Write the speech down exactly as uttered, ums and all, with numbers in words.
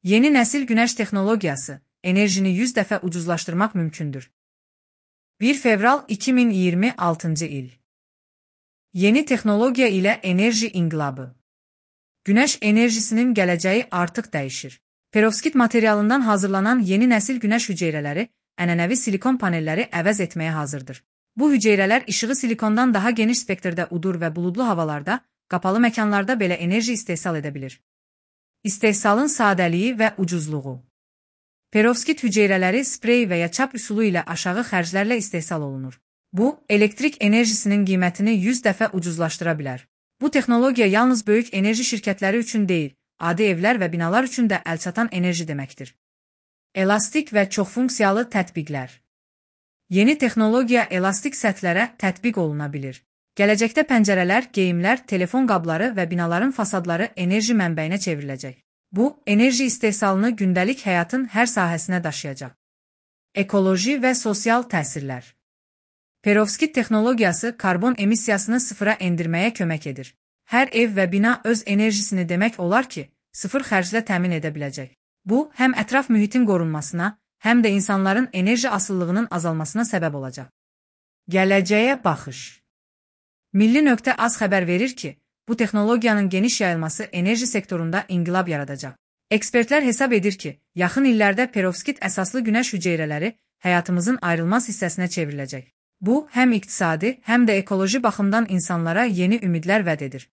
Yeni nəsil günəş texnologiyası, enerjini yüz dəfə ucuzlaşdırmaq mümkündür. bir fevral iki min iyirmi altıncı il. Yeni texnologiya ilə enerji inqilabı. Günəş enerjisinin gələcəyi artıq dəyişir. Perovskit materialından hazırlanan yeni nəsil günəş hüceyrələri ənənəvi silikon panelləri əvəz etməyə hazırdır. Bu hüceyrələr işığı silikondan daha geniş spektrdə udur və buludlu havalarda, qapalı məkanlarda belə enerji istehsal edə bilir. İstehsalın sadəliyi və ucuzluğu. Perovskit hüceyrələri sprey və ya çap üsulu ilə aşağı xərclərlə istehsal olunur. Bu, elektrik enerjisinin qiymətini yüz dəfə ucuzlaşdıra bilər. Bu texnologiya yalnız böyük enerji şirkətləri üçün deyil, adi evlər və binalar üçün də əlçatan enerji deməkdir. Elastik və çoxfunksiyalı tətbiqlər. Yeni texnologiya elastik səthlərə tətbiq oluna bilir. Gələcəkdə pəncərələr, geyimlər, telefon qabları və binaların fasadları enerji mənbəyinə çevriləcək. Bu, enerji istehsalını gündəlik həyatın hər sahəsinə daşıyacaq. Ekoloji və sosial təsirlər. Perovskit texnologiyası karbon emissiyasını sıfıra endirməyə kömək edir. Hər ev və bina öz enerjisini demək olar ki, sıfır xərclə təmin edə biləcək. Bu, həm ətraf mühitin qorunmasına, həm də insanların enerji asıllığının azalmasına səbəb olacaq. Gələcəyə baxış. Milli.az xəbər verir ki, bu texnologiyanın geniş yayılması enerji sektorunda inqilab yaradacaq. Ekspertlər hesab edir ki, yaxın illərdə perovskit əsaslı günəş hüceyrələri həyatımızın ayrılmaz hissəsinə çevriləcək. Bu, həm iqtisadi, həm də ekoloji baxımdan insanlara yeni ümidlər vəd edir.